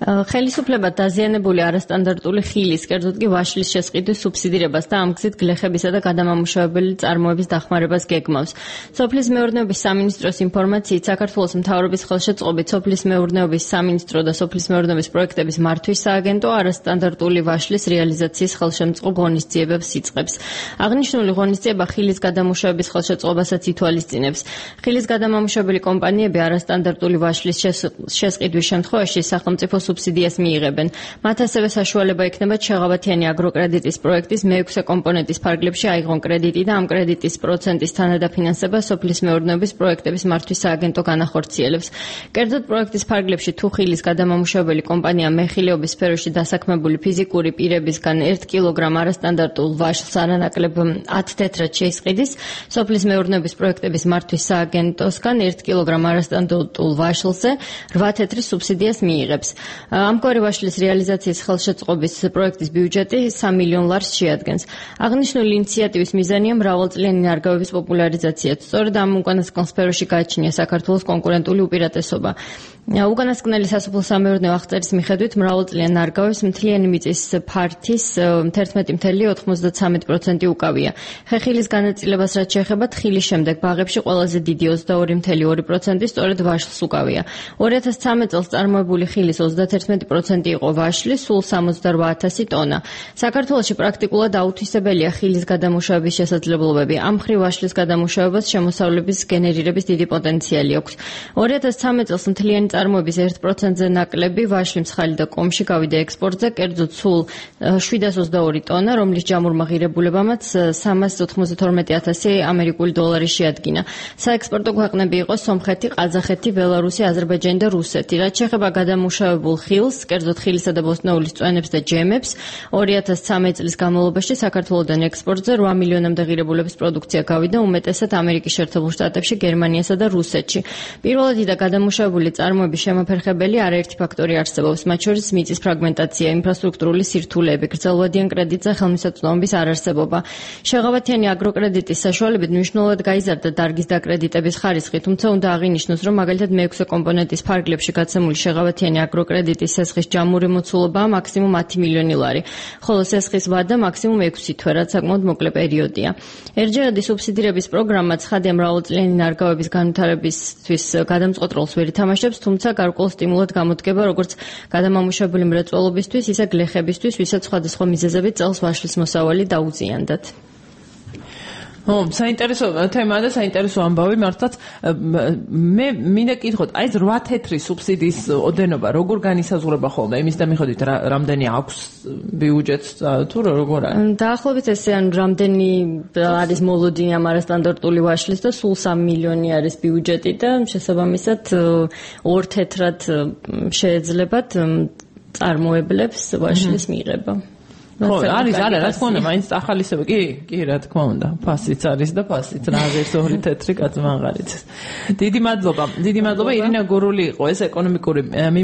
ხელისუფლება დაზიანებული არასტანდარტული ხილის, კერძოდ კი ვაშლის შესყიდვის სუბსიდირებას და ამ გზით გლეხებისა და გადამამუშავებელი წარმოების დახმარებას გეგმავს. სოფლის მეურნეობის სამინისტროს ინფორმაციით, საქართველოს მთავრობის ხელშეწყობით სოფლის მეურნეობის სამინისტრო და სოფლის მეურნეობის პროექტების მართვის სააგენტო არასტანდარტული ვაშლის რეალიზაციის ხელშემწყობ ღონისძიებებს იწყებს. აღნიშნული ღონისძიება ხილის გადამუშავების ხელშეწყობასაც ითვალისწინებს. ხილის გადამამუშავებელი კომპანიები არასტანდარტული ვაშლის შესყიდვის შემთხვევაში სახელმწიფო სუბსიდიას მიიღებენ. მათ ასევე საშუალება ექნებათ შეღავათიანი აგროკრედიტის პროექტის მე-6 კომპონენტის ფარგლებში აიღონ კრედიტი და ამ კრედიტის პროცენტის თანადაფინანსება სოფლის მეურნეობის პროექტების მართვის სააგენტო განახორციელებს. კერძოდ პროექტის ფარგლებში თუ ხილის გადამამუშავებელი კომპანია მეხილეობის სფეროში დასაქმებული ფიზიკური პირებისგან 1 კილოგრამ არასტანდარტულ ვაშლს არანაკლებ 10 თეთრად შეისყიდის, სოფლის მეურნეობის პროექტების მართვის სააგენტოსგან 1 კილოგრამ არასტანდარტულ ვაშლზე 8 თეთრის სუბსიდიას მიიღებს. ამგვარი ვაშლის რეალიზაციის ხელშეწყობის პროექტის ბიუჯეტი $3 მილიონ შეადგენს. აღნიშნული ინიციატივის მიზანია მრავალწლიანი ნარგავების პოპულარიზაცია. სწორედ ამ უკანასკნელ სფეროში გააჩნია საქართველოს კონკურენტული უპირატესობა. უკანასკნელი სასოფლო-სამეურნეო აღწერის მიხედვით მრავალწლიან ნარგავებს მთლიანი მიწის ფართის 11.93% უკავია. ხეხილის განაწილებას რაც შეეხება თხილის შემდეგ ბაღებში ყველაზე დიდი 22.2% სწორედ ვაშლს უკავია. 2013 წელს წარმოებული ხილის 31% იყო ვაშლი, სულ 68,000 ტონა. საქართველოში პრაქტიკულად აუთვისებელია ხილის გადამუშავების შესაძლებლობები. ამ მხრივ ვაშლის გადამუშავებას შემოსავლების გენერირების დიდი პოტენციალი აქვს. 2013 წელს მთლიანი წარმოების 1%-ზე ნაკლები ვაშლი მსხალი და კომში გავიდა ექსპორტზე, კერძოდ სულ 722 ტონა, რომლის ჯამურმა ღირებულებამაც $392,000 ამერიკული დოლარი შეადგინა. საექსპორტო ქვეყნები იყო სომხეთი, ყაზახეთი, ბელარუსი, აზერბაიჯანი და რუსეთი. რაც შეეხება გადამუშავებულ ხილს, კერძოდ ხილისა და ბოსტნეულის წვენებს და ჯემებს, 2013 წლის განმავლობაში საქართველოდან ექსპორტზე 8 მილიონამდე ღირებულების პროდუქცია გავიდა, უმეტესად ამერიკის შეერთებულ შტატებში, გერმანიასა და რუსეთში. პირველადი და გადამუშავებული წარმოების შემოფერხებელი არაერთი ფაქტორი არსებობს, მათ შორის მიწის ფრაგმენტაცია, ინფრასტრუქტურული სირთულეები, გრძელვადიან კრედიტზე ხელმისაწვდომობის არარსებობა. შეღავათიანი აგროკრედიტის საშუალებით მნიშვნელოვნად გაიზარდა დარგის დაკრედიტების ხარისხი, თუმცა უნდა აღინიშნოს, რომ მაგალითად მე-6 კომპონენტის ფარგლებში გაცემული შეღავათიანი აგროკრედიტის სესხის ჯამური მოცულობაა მაქსიმუმ $10 მილიონი, ხოლო სესხის ვადა მაქსიმუმ 6 თვე, რაც საკმაოდ მოკლე პერიოდია. ერთჯერადი სუბსიდირების პროგრამა ცხადია მრავალწლიანი ნარგავების განვითარებისთვის გადამწყვეტ როლს ვერ ითამაშებს, თუმცა გარკვეულ სტიმულად გამოდგება როგორც გადამამუშავებელი მრეწველობისთვის, ისე გლეხებისთვის, ვისაც სხვადასხვა მიზეზებით წელს ვაშლის მოსავალი დაუზიანდათ. საინტერესო თემაა და საინტერესო ამბავი მართლაც. მე მინდა კითხოთ, აი ეს 8 თეთრი სუბსიდიის ოდენობა როგორ განისაზღვრება ხოლმე? იმის და მიხედვით რამდენი აქვს ბიუჯეტს თუ როგორ არის? დაახლოებით ესე ან რამდენი არის მოლოდინი ამ არასტანდარტული ვაშლის და სულ 3 მილიონი არის ბიუჯეტი და შესაბამისად 2 თეთრად შეეძლებათ წარმოებლებს ვაშლის მიღება. ხო, არის, რა თქმა უნდა, მაინც ახალისება, კი, რა თქმა უნდა, ფასიც არის და ფასიც რა არის 2 თეთრი კაცმაღალიც. დიდი მადლობა, ირინა გურული იყო ეს ეკონომიკური